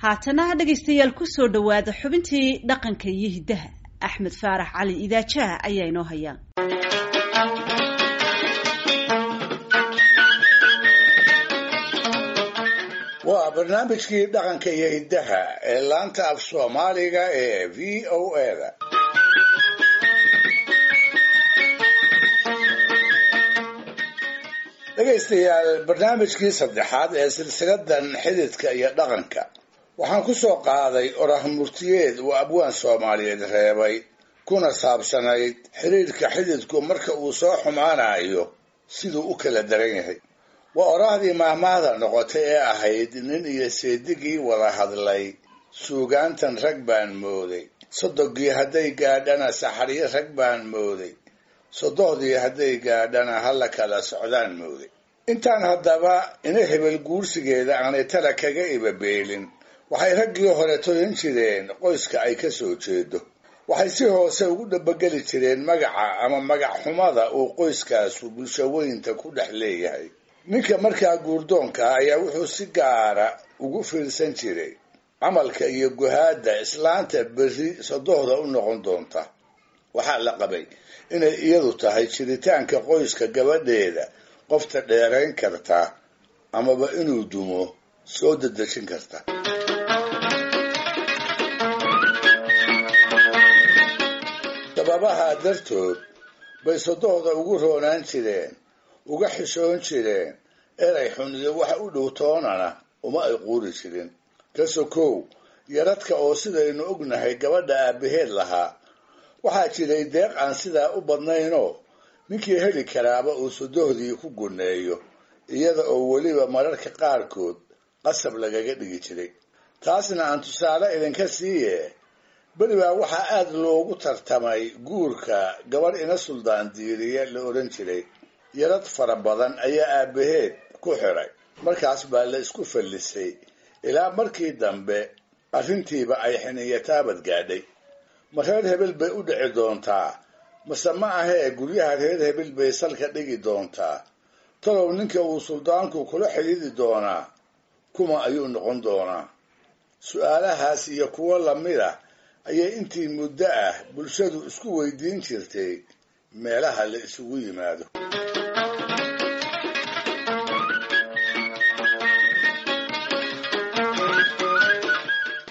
Haatana dhegaystayaal, kusoo dhowaada xubintii dhaqanka iyo hiddaha. Axmed Faarax Cali Idaajaha ayaa inoo haya. Waa barnaamijkii dhaqanka iyo hiddaha ee laanta af Soomaaliga ee VOA da. Dhegaystayaal, barnaamijkii saddexaad ee silsiladan xididka iyo dhaqanka waxaan ku soo qaaday orah murtiyeed uu abwaan Soomaaliyeed reebay, kuna saabsanayd xiriirka xididku marka uu soo xumaanayo siduu u kala daran yahay. Waa oraahdii maahmaahda noqotay ee ahayd: "Nin iyo seedigii wada hadlay, suugaantan rag baan mooday. Sodogii hadday gaadhana, saxaryo rag baan mooday. Sodohdii hadday gaadhana, hala kala socdaan mooday." Intaan haddaba ina hebel guursigeeda aanay tala kaga ibabeelin, waxay raggii hore toyan jireen qoyska ay ka soo jeedo. Waxay si hoose ugu dhabageli jireen magaca ama magac xumada uu qoyskaasu bulshaweynta ku dhex leeyahay. Ninka markaa guurdoonka ah ayaa wuxuu si gaara ugu fiirsan jiray camalka iyo guhaadda islaanta berri sodohda u noqon doonta. Waxaa la qabay inay iyadu tahay jiritaanka qoyska gabadheeda qofta dheerayn karta amaba inuu dumo soo dedejin karta. Sababaha dartood bay sodohda ugu roonaan jireen, uga xishoon jireen. Erey xun iyo wax u dhow toonana uma ay quuri jirin. Ka sokow yaradka oo sidaynu ognahay gabadha aabbaheed lahaa, waxaa jiray deeq aan sidaa u badnaynoo ninkii heli karaaba uu sodohdii ku guneeyo, iyada oo weliba mararka qaarkood qasab lagaga dhigi jiray. Taasna aan tusaale idinka siiye. Beri baa waxaa aada loogu tartamay guurka gabadh ina Suldaan Diiriye la odhan jiray. Yarad fara badan ayaa aabbaheed ku xiray. Markaas baa la isku fallisay ilaa markii dambe arrintiiba ay xiniya taabad gaadhay. Ma reer hebel bay u dhici doontaa, mase ma ahee guryaha reer hebel bay salka dhigi doontaa? Talow ninka uu suldaanku kula xidhiidi doonaa kuma ayuu noqon doonaa? Su-aalahaas iyo kuwo lamid ah ayay intii muddo ah bulshadu isku weydiin jirtay meelaha la isugu yimaado.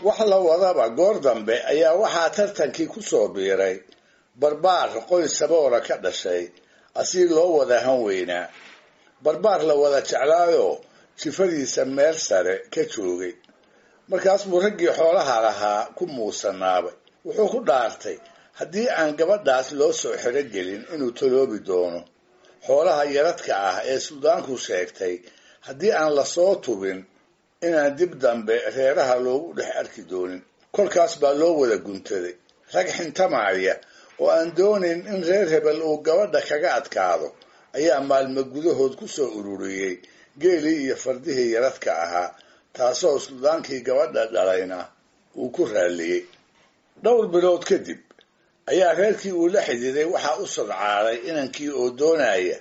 Wax la wadaba, goor dambe ayaa waxaa tartankii ku soo biiray barbaar qoys saboora ka dhashay, asii loo wada han weynaa, barbaar la wada jeclaayoo jifadiisa meel sare ka joogay. Markaas buu raggii xoolaha lahaa ku muusanaabay. Wuxuu ku dhaartay haddii aan gabadhaas loo soo xero gelin inuu taloobi doono. Xoolaha yaradka ah ee suldaanku sheegtay haddii aan lasoo tubin, inaan dib dambe reeraha loogu dhex arki doonin. Kolkaas baa loo wada guntaday. Rag xintamaaya oo aan doonayn in reer hebel uu gabadha kaga adkaado ayaa maalmo gudahood ku soo ururiyey geelii iyo fardihii yaradka ahaa, taasoo suldaankii gabadha dhalayna uu ku raalliyey. Dhowr bilood kadib ayaa reerkii uu la xididay waxaa u sadcaaday inankii oo doonaya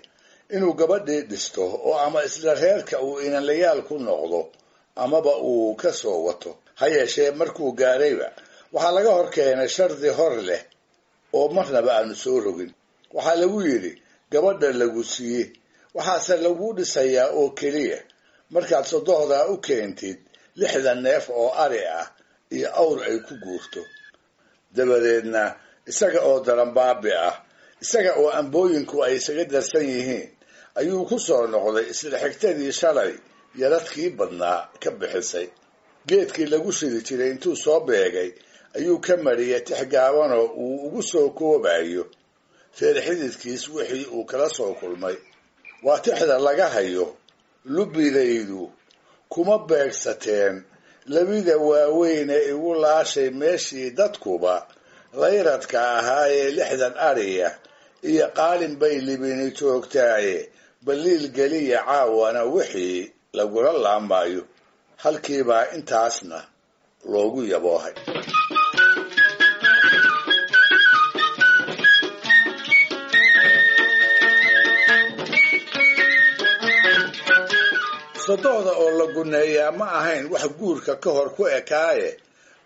inuu gabadhii dhisto, oo ama isla reerka uu inanlayaal ku noqdo amaba uu ka soo wato. Ha yeeshee, markuu gaarayba waxaa laga hor keenay shardi hor leh oo marnaba aanu soo rogin. Waxaa lagu yidhi: "Gabadha lagu siiye, waxaase lagu dhisayaa oo keliya markaad sodohdaa u keentid 60 neef oo ari ah iyo awr ay ku guurto." Dabadeedna isaga oo daranbaabi ah, isaga oo ambooyinku ay isaga darsan yihiin, ayuu ku soo noqday isla xigtadii shalay yaradkii badnaa ka bixisay. Geedkii lagu shidi jiray intuu soo beegay ayuu ka mariyay tix gaabanoo uu ugu soo koobayo reer xididkiis wixii uu kala soo kulmay. Waa tixda laga hayo: "Lubidaydu kuma beegsateen labida waaweyn ee igu laashay meeshii dadkuba layradka ahaa ee 60 ariya iyo qaalin bay libini joogtaaye, baliil geliya caawana wixii lagula laamayo." Halkiibaa intaasna loogu yaboohay. Sodohda oo la guneeyaa ma ahayn wax guurka ka hor ku ekaaye,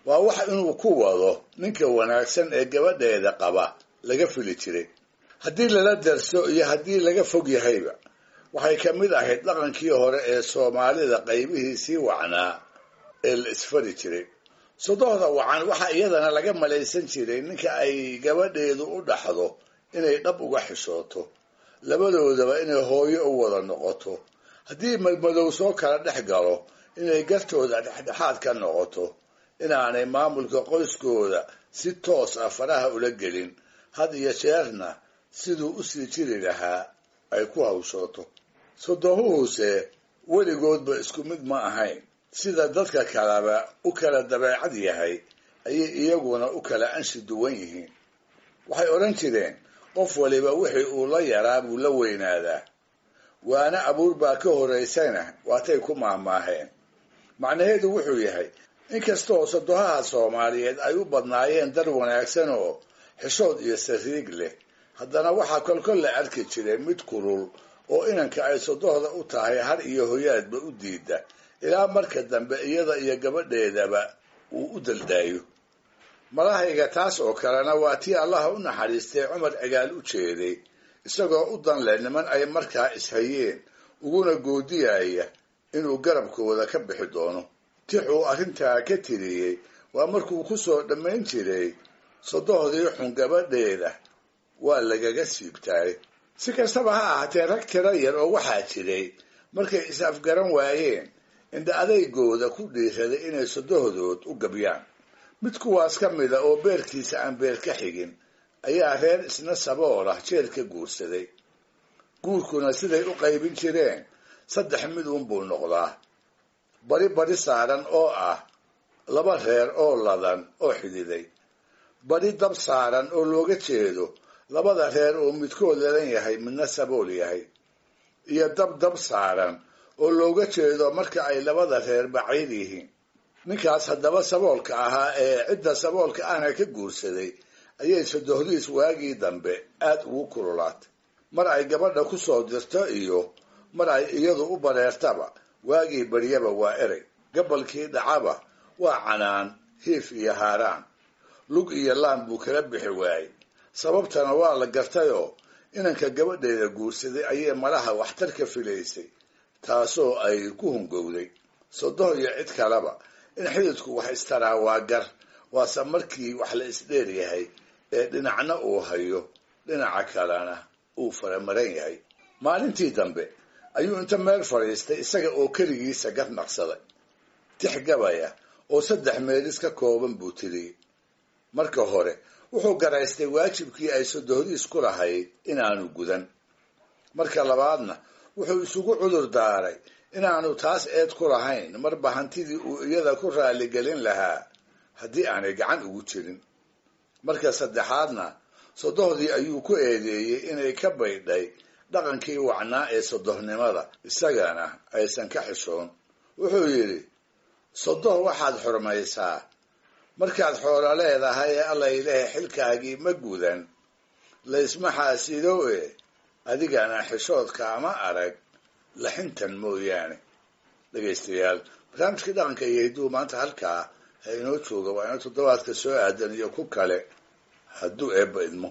waa wax inuu ku wado ninka wanaagsan ee gabadheeda qaba laga fili jiray. Haddii lala darso iyo haddii laga fog yahayba, waxay ka mid ahayd dhaqankii hore ee Soomaalida qaybihii sii wacnaa ee la isfari jiray. Sodohda wacan waxaa iyadana laga malaysan jiray ninka ay gabadheedu u dhaxdo inay dhab uga xishooto, labadoodaba inay hooyo u wada noqoto, haddii madmadow soo kala dhex galo inay gartooda dhexdhexaad ka noqoto, inaanay maamulka qoyskooda si toos ah faraha ula gelin, had iyo jeerna siduu u sii jiri lahaa ay ku hawshooto. Sodohuhuse weligoodba isku mid ma ahayn. Sida dadka kaleba u kala dabeecad yahay ayay iyaguna u kala anshi duwan yihiin. Waxay odhan jireen qof waliba wixii uu la yaraa buu la weynaadaa, waana abuur baa ka horaysana waatay ku maahmaaheen. Macnaheedu wuxuu yahay inkastoo sodohaha Soomaaliyeed ay u badnaayeen dar wanaagsan oo xishood iyo sariig leh, haddana waxaa kolkol la arki jiray mid kulul oo inanka ay sodohda u tahay har iyo hoyaadba u diida, ilaa marka dambe iyada iyo gabadheedaba uu u daldaayo. Malahayga taas oo kalena waa tii Allaha u naxariistay Cumar Cigaal u jeeday, isagoo u dan leh niman ay markaa ishayeen uguna goodiyaya inuu garabkooda ka bixi doono. Tixuu arrintaa ka tiriyey waa markuu ku soo dhammayn jiray sodohdii xun gabadheeda waa lagaga siibtaay. Si kastaba ha ahaatee, rag tiro yar oo waxaa jiray markay is afgaran waayeen indha adaygooda ku dhiiraday inay sodohdood u gabyaan. Mid kuwaas ka mida oo beerkiisa aan beer ka xigin ayaa reer isna sabool ah jeel ka guursaday. Guurkuna siday u qaybin jireen saddex mid uunbuu noqdaa: bari bari saaran oo ah laba reer oo ladan oo xididay, bari dab saaran oo looga jeedo labada reer oo midkood ladan yahay midna sabool yahay, iyo dab dab saaran oo looga jeedo marka ay labada reer baciir yihiin. Ninkaas haddaba saboolka ahaa ee cidda saboolka ahna ka guursaday ayay sodohdiis waagii dambe aad ugu kululaatay. Mar ay gabadha ku soo dirto iyo mar ay iyadu u bareertaba, waagii baryaba waa erey, gabalkii dhacaba waa canaan, hiif iyo haaraan, lug iyo laan buu kala bixi waayey. Sababtana waa la gartayoo inanka gabadheeda guursaday ayay malaha waxtar ka filaysay, taasoo ay ku hungowday. Sodoh iyo cid kaleba in xididku wax istaraa waa gar, waase markii wax la isdheer yahay ee dhinacna uu hayo dhinaca kalena uu faramaran yahay. Maalintii dambe ayuu inta meel fadhiistay isaga oo keligiisa gar naqsaday. Tix gabaya oo 3 meelis ka kooban buu tiriyey. Marka hore wuxuu garaystay waajibkii ay sodohdiis ku lahayd inaanu gudan. Marka labaadna wuxuu isugu cudur daaray inaanu taas eed ku lahayn, marba hantidii uu iyada ku raaligelin lahaa haddii aanay gacan ugu jirin. Marka saddexaadna sodohdii ayuu ku eedeeyey inay ka baydhay dhaqankii wacnaa ee sodohnimada, isagana aysan ka xishoon. Wuxuu yidhi, sodoh waxaad xurmaysaa markaad xoolo leedahay ee Alla ilaahay xilkaagii ma gudan, laysma xaasido e adigana xishoodka ama arag laxintan mooyaane. Dhegaystayaal, barnaamijkii dhaqanka iyo hidduu maanta halkaa ha inoo jooga. Waa inoo toddobaadka soo aadan iyo ku kale hadduu Eebba idmo.